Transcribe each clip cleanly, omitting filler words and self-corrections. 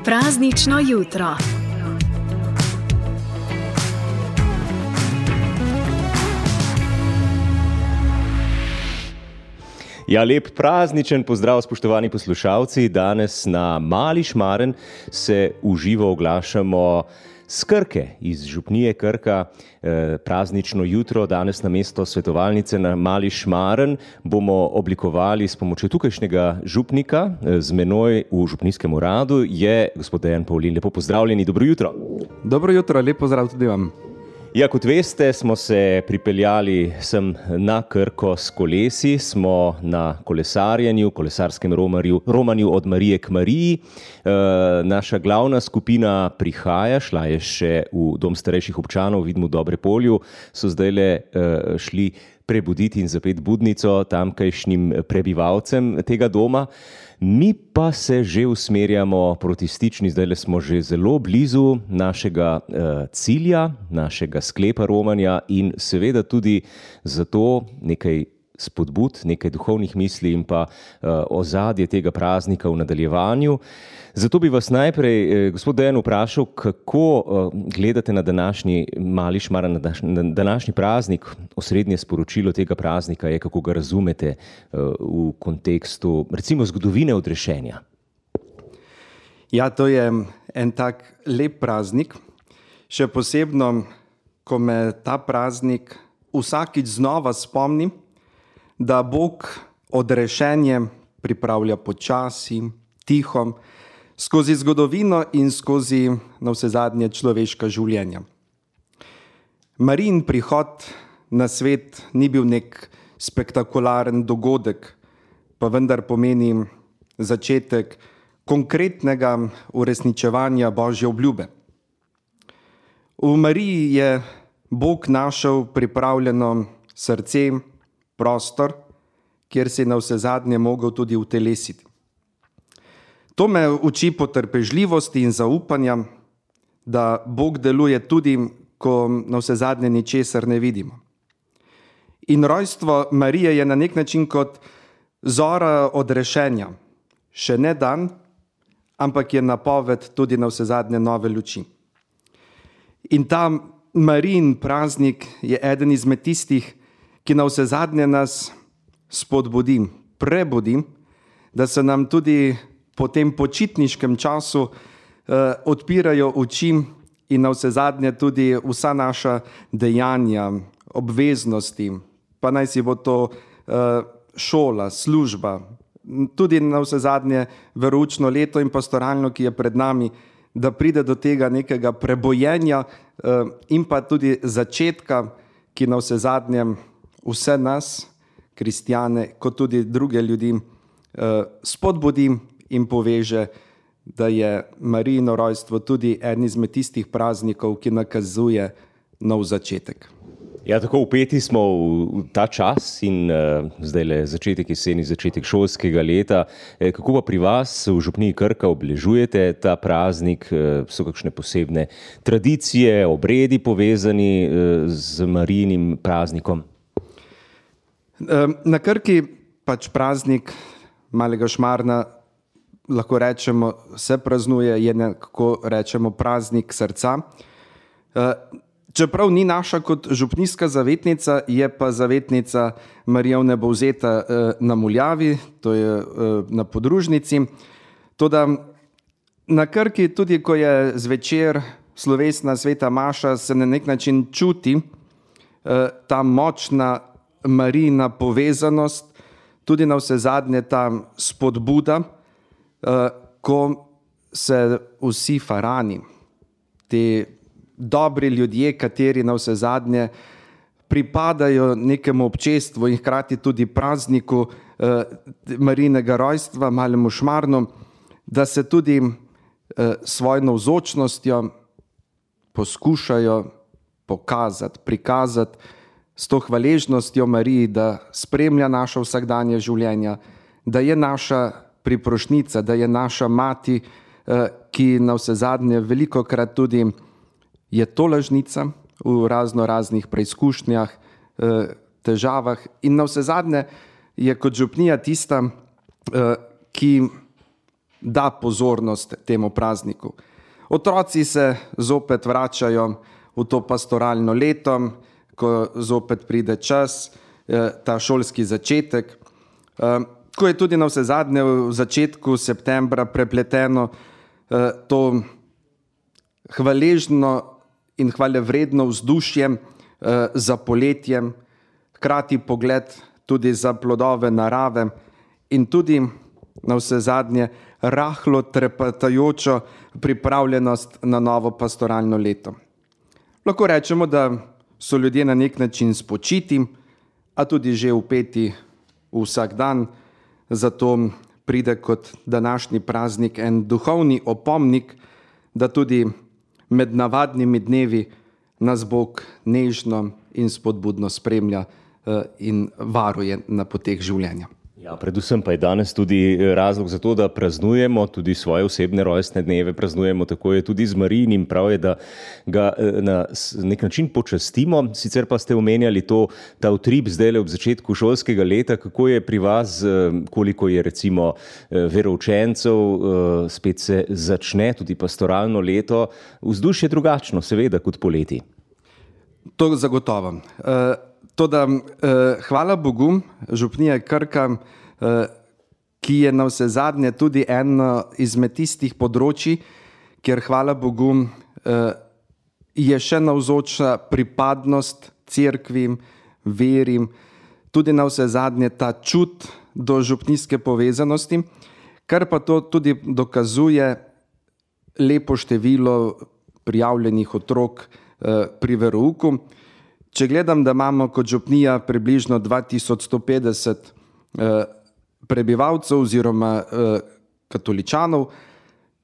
Praznično jutro. Ja, lep prazničen pozdrav, spoštovani poslušalci. Danes na Mali Šmaren se v živo oglašamo s Krke, iz župnije Krka. Praznično jutro, danes namesto svetovalnice na Mali Šmaren bomo oblikovali s pomočjo tukajšnjega župnika. Z menoj v župnijskem uradu je gospod Dejan Pavlin. Lepo pozdravljeni, dobro jutro. Dobro jutro, lep pozdrav tudi vam. Ja, kot veste, smo se pripeljali sem na Krko s kolesi, smo na kolesarjenju, kolesarskem romanju od Marije k Mariji. Naša glavna skupina prihaja, šla je še v Dom starejših občanov, vidimo v Dobre Polju, so zdajle šli prebuditi in zapeti budnico tamkajšnjim prebivalcem tega doma. Mi pa se že usmerjamo proti Stični, zdajle smo že zelo blizu našega cilja, našega sklepa romanja in seveda tudi zato nekaj spodbud, nekaj duhovnih misli in pa ozadje tega praznika v nadaljevanju. Zato bi vas najprej, gospod Dejan, vprašal, kako gledate na današnji Mali Šmaren, na današnji praznik. Osrednje sporočilo tega praznika je, kako ga razumete v kontekstu, recimo, zgodovine odrešenja. Ja, to je en tak lep praznik. Še posebno, ko me ta praznik vsakič znova spomni, da Bog odrešenje pripravlja počasi, tiho, skozi zgodovino in skozi navsezadnje človeška življenja. Marijin prihod na svet ni bil nek spektakularen dogodek, pa vendar pomeni začetek konkretnega uresničevanja Božje obljube. V Mariji je Bog našel pripravljeno srce, prostor, kjer se je navsezadnje mogel tudi utelesiti. To me uči potrpežljivosti in zaupanja, da Bog deluje tudi, ko navsezadnje ničesar ne vidimo. In rojstvo Marije je na nek način kot zora odrešenja. Še ne dan, ampak je napoved tudi navsezadnje nove luči. In ta Marijin praznik je eden izmed tistih, ki navsezadnje nas spodbudi, prebudi, da se nam tudi po tem počitniškem času odpirajo oči in navsezadnje tudi vsa naša dejanja, obveznosti, pa naj si bo to šola, služba, tudi navsezadnje veroučno leto in pastoralno, ki je pred nami, da pride do tega nekega prebojenja in pa tudi začetka, ki navsezadnje vse nas, kristjane, kot tudi druge ljudi, spodbudi in poveže, da je Marijino rojstvo tudi en izmed tistih praznikov, ki nakazuje nov začetek. Ja, tako vpeti smo v ta čas in zdajle začetek jeseni, začetek šolskega leta. Kako pa pri vas v župniji Krka obeležujete ta praznik? So kakšne posebne tradicije, obredi povezani z Marijinim praznikom? Na Krki pač praznik Malega Šmarna, lahko rečemo, se praznuje, je nekako rečemo praznik srca. Čeprav ni naša kot župnijska zavetnica, je pa zavetnica Marija Vnebovzeta na Muljavi, to je na podružnici. Toda na Krki, tudi ko je zvečer slovesna sveta maša, se na nek način čuti ta močna Marijina povezanost, tudi navsezadnje ta spodbuda, ko se vsi farani, ti dobri ljudje, kateri navsezadnje pripadajo nekemu občestvu in hkrati tudi prazniku Marijinega rojstva, Malemu Šmarnu, da se tudi svojo navzočnostjo poskušajo pokazati, prikazati s to hvaležnostjo Mariji, da spremlja naša vsakdanja življenja, da je naša priprošnica, da je naša mati, ki navsezadnje velikokrat tudi je tolažnica v raznih preizkušnjah, težavah in navsezadnje je kot župnija tista, ki da pozornost temu prazniku. Otroci se zopet vračajo v to pastoralno leto, ko zopet pride čas, ta šolski začetek, ko je tudi navsezadnje v začetku septembra prepleteno to hvaležno in hvalevredno vzdušje za poletjem, hkrati pogled tudi za plodove narave in tudi navsezadnje rahlo trepetajočo pripravljenost na novo pastoralno leto. Lahko rečemo, da so ljudje na nek način spočiti, a tudi že vpeti vsak dan, zato pride kot današnji praznik en duhovni opomnik, da tudi med navadnimi dnevi nas Bog nežno in spodbudno spremlja in varuje na poteh življenja. Ja, predvsem pa je danes tudi razlog za to, da praznujemo tudi svoje osebne rojstne dneve, praznujemo, tako je tudi z Marijinim, prav je, da ga na nek način počastimo. Sicer pa ste omenjali ta utrip zdajle ob začetku šolskega leta, kako je pri vas, koliko je recimo veroučencev, spet se začne tudi pastoralno leto, vzdušje drugačno, seveda, kot poleti. To zagotovo. Toda hvala Bogu, župnija Krka, ki je navsezadnje tudi eno izmed tistih področij, kjer hvala Bogu je še navzoča pripadnost cerkvim, verim, tudi navsezadnje ta čut do župnijske povezanosti, kar pa to tudi dokazuje lepo število prijavljenih otrok pri verouku. Če gledam, da imamo kot župnija približno 2150 prebivalcev oziroma katoličanov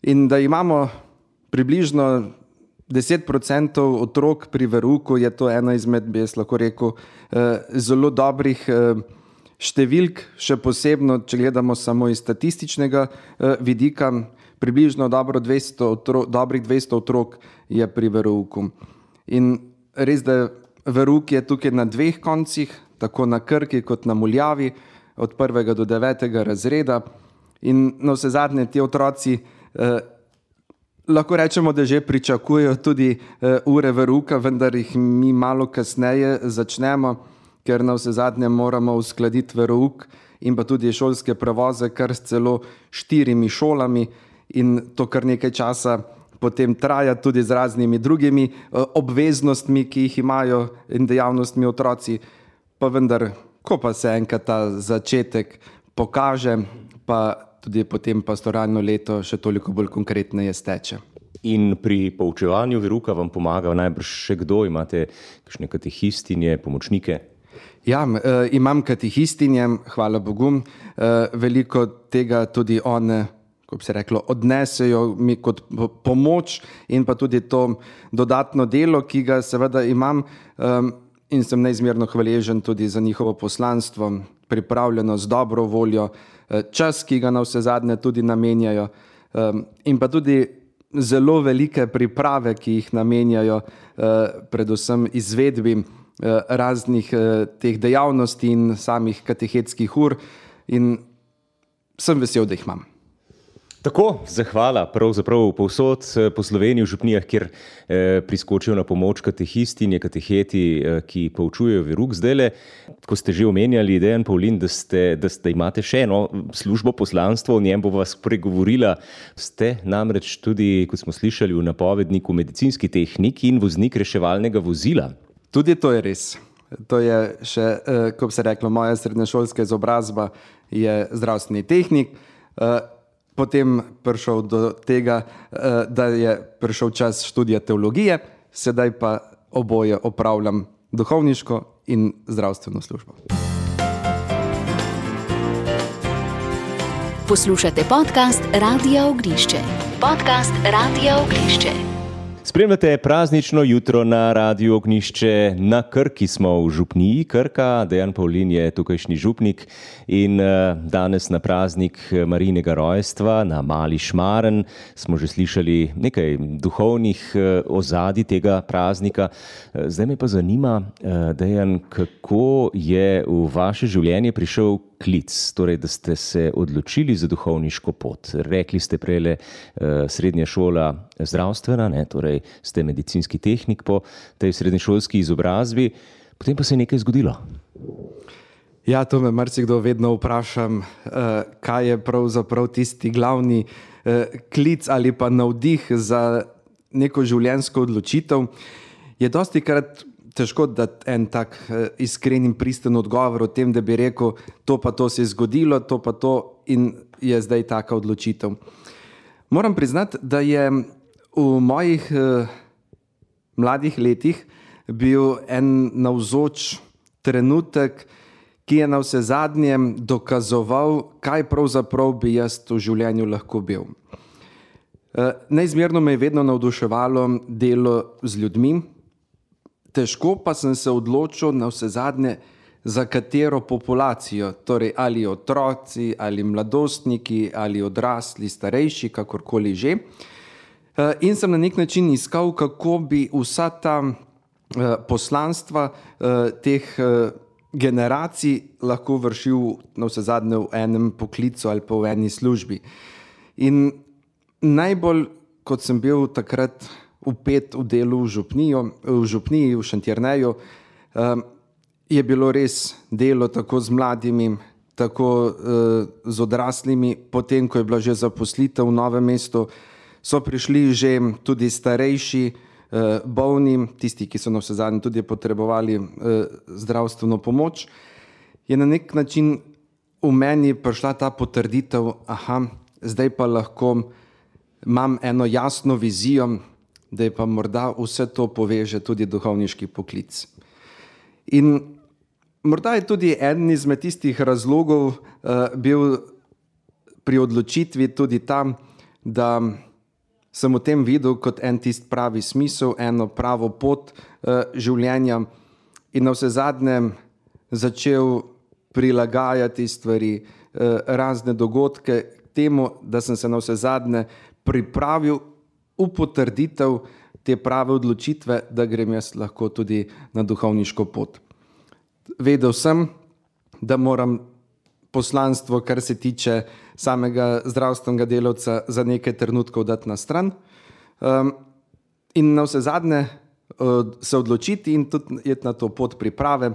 in da imamo približno 10% otrok pri verouku, je to ena izmed, bi jaz lahko rekel, zelo dobrih številk, še posebno, če gledamo samo iz statističnega vidika, približno dobrih 200 otrok je pri verouku. In res, da verouk je tukaj na dveh koncih, tako na Krki kot na Muljavi, od 1. do 9. razreda. In navsezadnje ti otroci lahko rečemo, da že pričakujejo tudi ure verouka, vendar jih mi malo kasneje začnemo, ker navsezadnje moramo uskladiti verouk in pa tudi šolske prevoze kar s celo 4 šolami in to kar nekaj časa potem traja tudi z raznimi drugimi obveznostmi, ki jih imajo in dejavnostmi otroci, pa vendar, ko pa se enkrat ta začetek pokaže, pa tudi potem pastoralno leto še toliko bolj konkretneje steče. In pri poučevanju verouka vam pomaga najbrž še kdo? Imate kakšne katehistinje, pomočnike? Ja, imam katehistinje, hvala Bogu. Veliko tega tudi one, ko bi se reklo, odnesejo mi kot pomoč in pa tudi to dodatno delo, ki ga seveda imam in sem neizmerno hvaležen tudi za njihovo poslanstvo, pripravljenost, dobro voljo, čas, ki ga navsezadnje tudi namenjajo in pa tudi zelo velike priprave, ki jih namenjajo predvsem izvedbi raznih teh dejavnosti in samih katehetskih ur in sem vesel, da jih imam. Tako, zahvala pravzaprav povsod po Sloveniji v župnijah, kjer priskočijo na pomoč katehistinje, kateheti, ki poučujejo verouk. Zdajle, ko ste že omenjali, Dejan Pavlin, da imate še eno službo, poslanstvo, o njem bo vas pregovorila. Ste namreč tudi, kot smo slišali v napovedniku, medicinski tehnik in voznik reševalnega vozila. Tudi to je res. To je še, ko bi se reklo, moja srednješolska izobrazba je zdravstveni tehnik. Potem prišel do tega, da je prišel čas študija teologije, sedaj pa oboje opravljam duhovniško in zdravstveno službo. Poslušate podcast Radia Ognišče. Podcast Radia Ognišče. Spremljate praznično jutro na Radiu Ognišče. Na Krki smo v župniji Krka. Dejan Pavlin je tukajšnji župnik in danes na praznik Marijinega rojstva na Mali Šmaren smo že slišali nekaj duhovnih ozadij tega praznika. Zdaj me pa zanima, Dejan, kako je v vaše življenje prišel poklic, torej da ste se odločili za duhovniško pot. Rekli ste prejle srednja šola zdravstvena, ne, torej ste medicinski tehnik po tej srednješolski izobrazbi, potem pa se je nekaj zgodilo. Ja, to me marsikdo vedno vprašam, kaj je pravzaprav tisti glavni klic ali pa navdih za neko življenjsko odločitev. Je dostikrat težko dati en tak iskren in pristen odgovor o tem, da bi rekel, to pa to se je zgodilo, to pa to in je zdaj taka odločitev. Moram priznati, da je v mojih mladih letih bil en navzoč trenutek, ki je na vse zadnje dokazoval, kaj pravzaprav bi jaz v življenju lahko bil. Neizmerno me je vedno navduševalo delo z ljudmi, težko pa sem se odločil na vse zadnje, za katero populacijo, torej ali otroci, ali mladostniki, ali odrasli, starejši, kakorkoli že. In sem na nek način iskal, kako bi vsa ta poslanstva teh generacij lahko vršil na vse zadnje v enem poklicu ali pa v eni službi. In najbolj, kot sem bil takrat vpet v delu v župniji, v Šentjerneju, je bilo res delo tako z mladimi, tako z odraslimi. Potem, ko je bila že zaposlitev v Novem mestu, so prišli že tudi starejši, bolni, tisti, ki so na vse zadnje tudi potrebovali zdravstveno pomoč. Je na nek način v meni prišla ta potrditev, zdaj pa lahko imam eno jasno vizijo, da je pa morda vse to poveže tudi duhovniški poklic. In morda je tudi eden izmed tistih razlogov bil pri odločitvi tudi tam, da sem v tem videl kot en tist pravi smisel, eno pravo pot življenja in na vse zadnje začel prilagajati stvari, razne dogodke temu, da sem se na vse zadnje pripravil v potrditev te prave odločitve, da grem jaz lahko tudi na duhovniško pot. Vedel sem, da moram poslanstvo, kar se tiče samega zdravstvenega delavca, za nekaj trenutkov dati na stran in na vse zadnje se odločiti in tudi iti na to pot priprave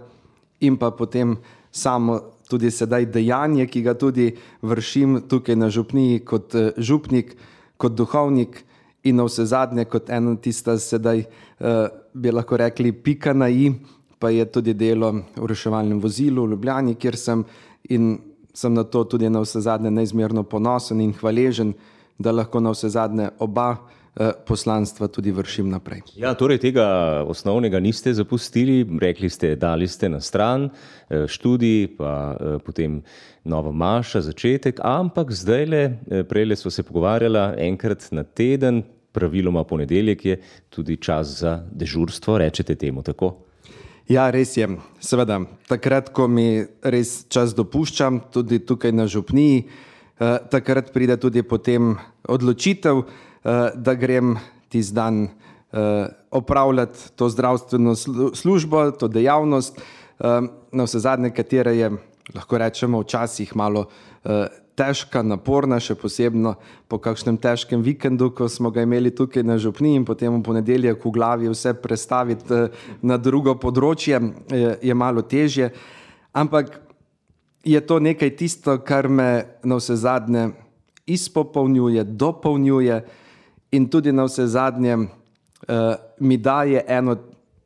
in pa potem samo tudi sedaj dejanje, ki ga tudi vršim tukaj na župniji kot župnik, kot duhovnik in na vse zadnje kot ena tista sedaj bi lahko rekli pika na i, pa je tudi delo v reševalnem vozilu v Ljubljani, kjer sem in sem na to tudi na vse zadnje neizmerno ponosen in hvaležen, da lahko na vse zadnje oba poslanstva tudi vršim naprej. Ja, torej tega osnovnega niste zapustili, rekli ste, dali ste na stran študij, pa potem nova maša, začetek, ampak zdajle, prejle sva se pogovarjala, enkrat na teden, praviloma ponedeljek je tudi čas za dežurstvo, rečete temu, tako? Ja, res je. Seveda, takrat, ko mi res čas dopuščam, tudi tukaj na župniji, takrat pride tudi potem odločitev, da grem tisti dan opravljati to zdravstveno službo, to dejavnost, na vse zadnje, katera je, lahko rečemo, včasih malo težka, naporna, še posebno po kakšnem težkem vikendu, ko smo ga imeli tukaj na župniji in potem v ponedeljek v glavi vse prestaviti na drugo področje, je malo težje. Ampak je to nekaj tisto, kar me na vse zadnje izpopolnjuje, dopolnjuje in tudi na vse zadnje mi daje eno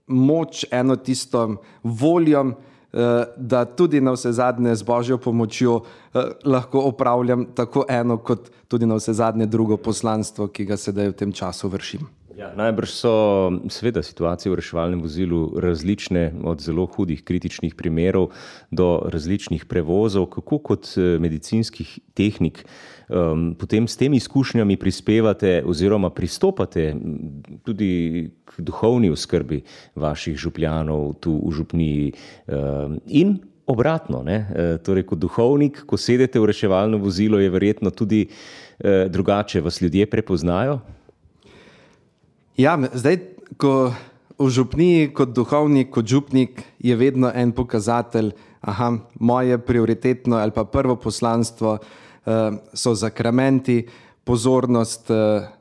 moč, eno tisto voljo, da tudi na vse zadnje z Božjo pomočjo lahko opravljam tako eno kot tudi na vse zadnje drugo poslanstvo, ki ga sedaj v tem času vršim. Ja, najbrž so seveda situacije v reševalnem vozilu različne, od zelo hudih kritičnih primerov do različnih prevozov. Kako kot medicinski tehnik potem s temi izkušnjami prispevate oziroma pristopate tudi k duhovni oskrbi vaših župljanov tu v župniji in obratno, ne? Torej kot duhovnik, ko sedete v reševalno vozilo, je verjetno tudi drugače, vas ljudje prepoznajo? Ja, zdaj, ko v župniji kot duhovnik, kot župnik je vedno en pokazatelj, moje prioritetno ali pa prvo poslanstvo so zakramenti, pozornost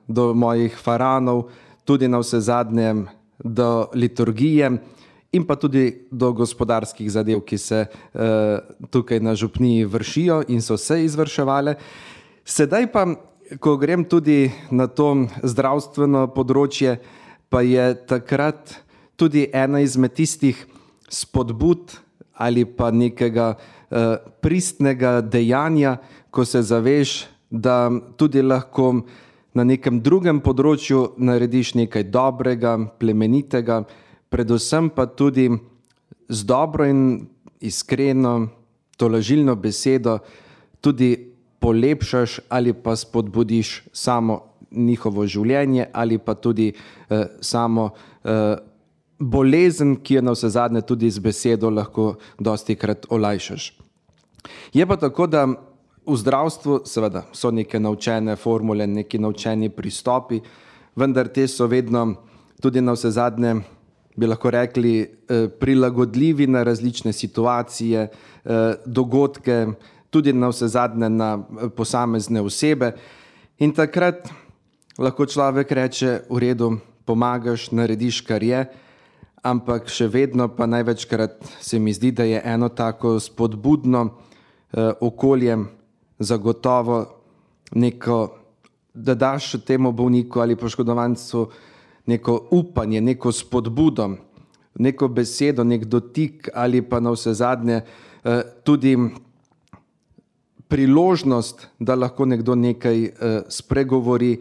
do mojih faranov, tudi na vse zadnje do liturgije in pa tudi do gospodarskih zadev, ki se tukaj na župniji vršijo in so se izvrševale. Sedaj pa, ko grem tudi na to zdravstveno področje, pa je takrat tudi ena izmed tistih spodbud ali pa nekega pristnega dejanja, ko se zaveš, da tudi lahko na nekem drugem področju narediš nekaj dobrega, plemenitega, predvsem pa tudi z dobro in iskreno tolažilno besedo tudi polepšaš ali pa spodbudiš samo njihovo življenje ali pa tudi samo bolezen, ki je na vse zadnje tudi z besedo lahko dostikrat olajšaš. Je pa tako, da v zdravstvu seveda so neke naučene formule, neki naučeni pristopi, vendar te so vedno tudi na vse zadnje, bi lahko rekli, prilagodljivi na različne situacije, dogodke, tudi na vse zadnje na posamezne osebe. In takrat lahko človek reče, v redu, pomagaš, narediš, kar je, ampak še vedno pa največkrat se mi zdi, da je eno tako spodbudno okolje zagotovo neko, da daš temu bolniku ali poškodovancu neko upanje, neko spodbudo, neko besedo, nek dotik ali pa na vse zadnje tudi priložnost, da lahko nekdo nekaj spregovori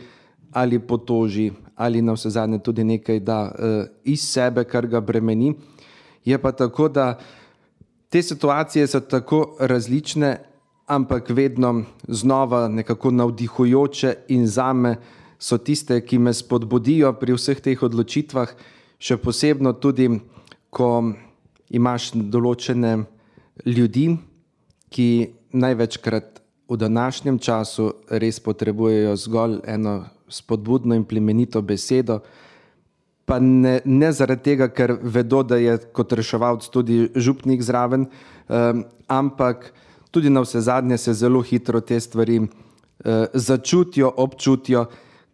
ali potoži ali na vse zadnje tudi nekaj da iz sebe, kar ga bremeni. Je pa tako, da te situacije so tako različne, ampak vedno znova nekako navdihujoče in zame so tiste, ki me spodbudijo pri vseh teh odločitvah, še posebno tudi, ko imaš določene ljudi, ki največkrat v današnjem času res potrebujejo zgolj eno spodbudno in plemenito besedo, pa ne zaradi tega, ker vedo, da je kot reševalc tudi župnik zraven, ampak tudi na vse zadnje se zelo hitro te stvari začutijo, občutijo,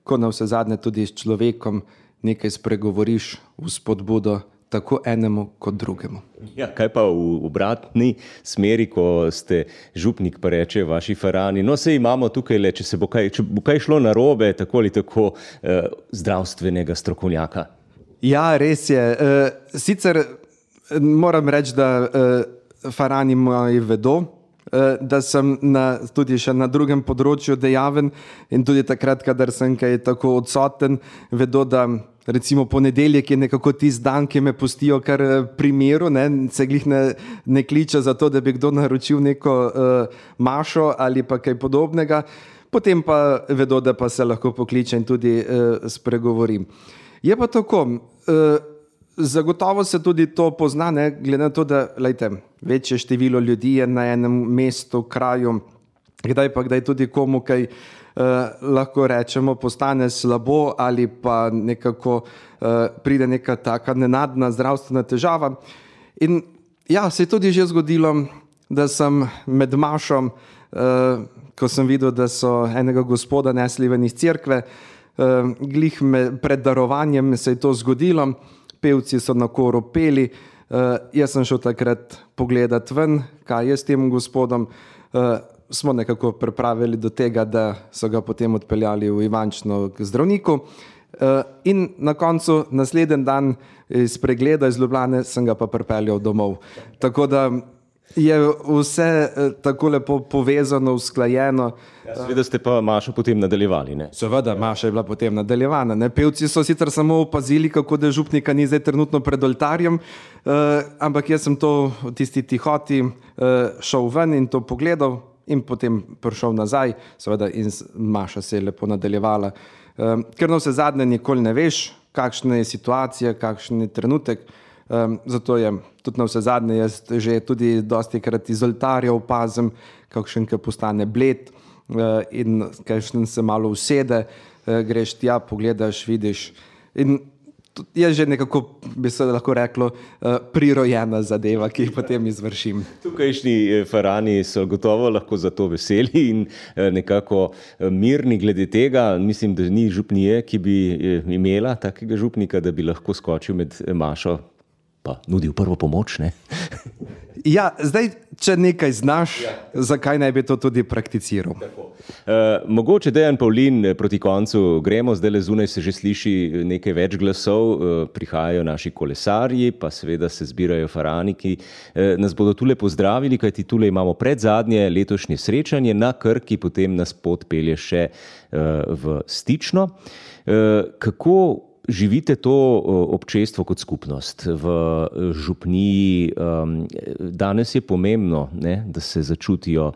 ko na vse zadnje tudi s človekom nekaj spregovoriš v spodbudo tako enemu kot drugemu. Ja, kaj pa v obratni smeri, ko ste župnik, pa reče vaši farani, no sej imamo tukaj le, če bo kaj šlo narobe, tako ali tako zdravstvenega strokovnjaka. Ja, res je. Sicer moram reči, da farani moji vedo, da sem tudi še na drugem področju dejaven in tudi takrat, kadar sem kaj tako odsoten, vedo, da recimo ponedeljek je nekako tisti dan, ki me pustijo kar pri miru, se glih ne kliče za to, da bi kdo naročil neko mašo ali pa kaj podobnega, potem pa vedo, da pa se lahko pokliče in tudi spregovorim. Je pa tako, zagotovo se tudi to pozna, glede na to, da večje število ljudi je na enem mestu, kraju, kdaj tudi komu kaj lahko rečemo, postane slabo ali pa nekako pride neka taka nenadna zdravstvena težava. In ja, se je tudi že zgodilo, da sem med mašom, ko sem videl, da so enega gospoda nesli ven iz cerkve, glih pred darovanjem se je to zgodilo, pevci so na koru peli, jaz sem šel takrat pogledat ven, kaj je s tem gospodom, smo nekako pripravili do tega, da so ga potem odpeljali v Ivančno k zdravniku in na koncu naslednji dan iz pregleda iz Ljubljane sem ga pa pripeljal domov. Tako da je vse tako lepo povezano, usklajeno. Ja, seveda ste pa mašo potem nadaljevali, ne? Seveda, maša je bila potem nadaljevana. Pevci so sicer samo opazili, kako da župnika ni zdaj trenutno pred oltarjem, ampak jaz sem to v tisti tihoti šel ven in to pogledal in potem prišel nazaj, seveda in maša se je lepo nadaljevala. Ker na vse zadnje nikoli ne veš, kakšna je situacija, kakšen je trenutek, zato je tudi na vse zadnje jaz že tudi dostikrat iz oltarja opazim, kakšen ki postane bled in kakšen se malo usede, greš tja, pogledaš, vidiš. In je že nekako, bi se lahko reklo, prirojena zadeva, ki jih potem izvršim. Tukajšnji farani so gotovo lahko za to veseli in nekako mirni glede tega. Mislim, da ni župnije, ki bi imela takega župnika, da bi lahko skočil med mašo pa nudil prvo pomoč, ne? Ja, zdaj, če nekaj znaš, zakaj ne bi to tudi prakticiral? Mogoče Dejan Pavlin, proti koncu gremo, zdaj le zunaj se že sliši nekaj več glasov, prihajajo naši kolesarji, pa seveda se zbirajo farani, ki nas bodo tule pozdravili, kajti tule imamo predzadnje letošnje srečanje na Krki, potem nas pot pelje še v Stično. Kako živite to občestvo kot skupnost v župniji? Danes je pomembno, ne, da se začutijo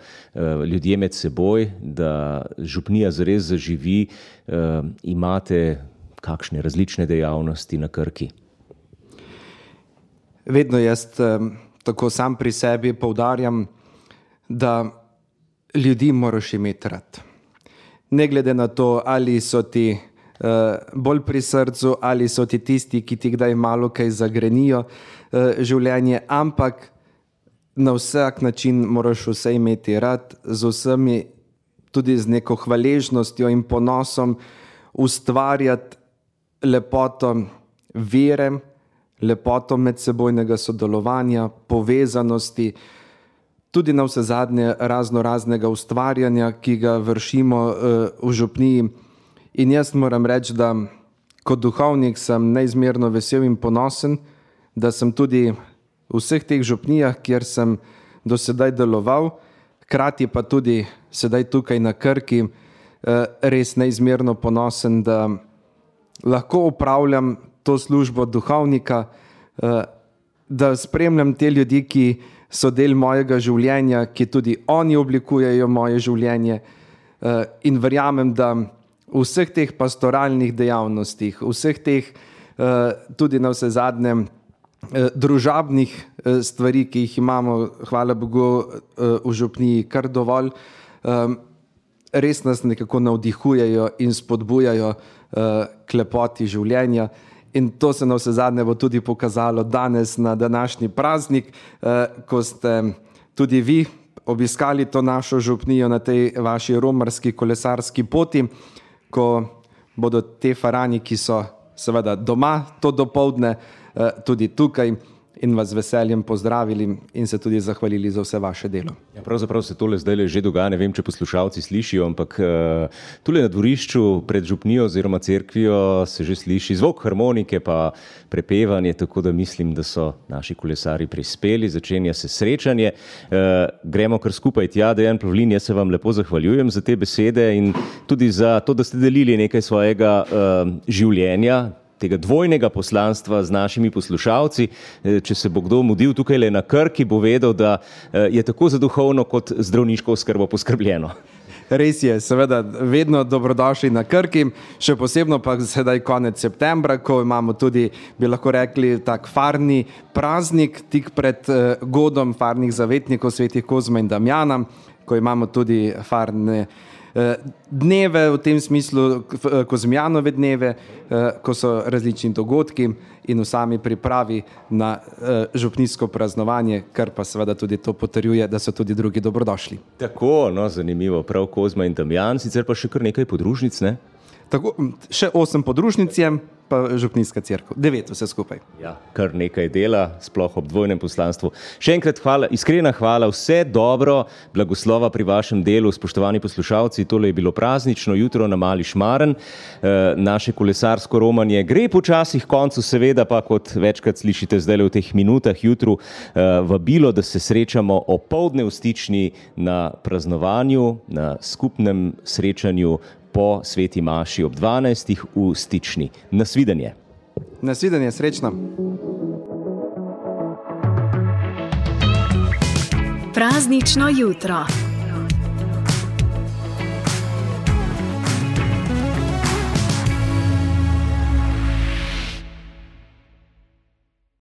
ljudje med seboj, da župnija zares zaživi. Imate kakšne različne dejavnosti na Krki? Vedno jaz tako sam pri sebi poudarjam, da ljudi moraš imeti rad. Ne glede na to, ali so ti bolj pri srcu, ali so ti tisti, ki ti kdaj malo kaj zagrenijo življenje, ampak na vsak način moraš vse imeti rad, z vsemi, tudi z neko hvaležnostjo in ponosom ustvarjati lepoto vere, lepoto medsebojnega sodelovanja, povezanosti, tudi na vse zadnje raznega ustvarjanja, ki ga vršimo v župniji. In jaz moram reči, da kot duhovnik sem neizmerno vesel in ponosen, da sem tudi v vseh teh župnijah, kjer sem do sedaj deloval, hkrati pa tudi sedaj tukaj na Krki, res neizmerno ponosen, da lahko upravljam to službo duhovnika, da spremljam te ljudi, ki so del mojega življenja, ki tudi oni oblikujejo moje življenje, in verjamem, da v vseh teh pastoralnih dejavnostih, vseh teh tudi na vse zadnje družabnih stvari, ki jih imamo, hvala Bogu, v župniji kar dovolj, res nas nekako navdihujejo in spodbujajo k lepoti življenja. In to se na vse zadnje bo tudi pokazalo danes na današnji praznik, ko ste tudi vi obiskali to našo župnijo na tej vaši romarski kolesarski poti, ko bodo te farani, ki so seveda doma to dopoldne, tudi tukaj in vas veseljem pozdravili in se tudi zahvalili za vse vaše delo. Ja, pravzaprav se tole zdaj že dogaja, ne vem, če poslušalci slišijo, ampak tule na dvorišču pred župnijo oziroma cerkvijo se že sliši zvok harmonike pa prepevanje, tako da mislim, da so naši kolesari prispeli, začenja se srečanje. Gremo kar skupaj tja. Dejan Pavlin, jaz se vam lepo zahvaljujem za te besede in tudi za to, da ste delili nekaj svojega življenja, tega dvojnega poslanstva z našimi poslušalci. Če se bo kdo mudil tukaj le na Krki, bo vedel, da je tako za duhovno kot zdravniško oskrbo poskrbljeno. Res je, seveda, vedno dobrodošli na Krki, še posebno pa sedaj konec septembra, ko imamo tudi, bi lahko rekli, tak farni praznik tik pred godom farnih zavetnikov svetih Kozma in Damjana, ko imamo tudi farne dneve, v tem smislu Kozmijanove dneve, ko so različni dogodki in v sami pripravi na župnijsko praznovanje, kar pa seveda tudi to potrjuje, da so tudi drugi dobrodošli. Tako, no, zanimivo, prav Kozma in Damjan, sicer pa še kar nekaj podružnic, ne? Tako, še 8 podružnic je, pa župnijska cerkev, 9 vse skupaj. Ja, kar nekaj dela, sploh ob dvojnem poslanstvu. Še enkrat hvala, iskrena hvala, vse dobro, blagoslova pri vašem delu, spoštovani poslušalci, tole je bilo praznično jutro na Mali Šmaren, naše kolesarsko romanje gre počasi k koncu, seveda pa, kot večkrat slišite zdaj v teh minutah jutru, vabilo, da se srečamo opoldne v Stični na praznovanju, na skupnem srečanju po sveti maši ob 12. v Stični. Nasvidenje. Nasvidenje, srečno. Praznično jutro.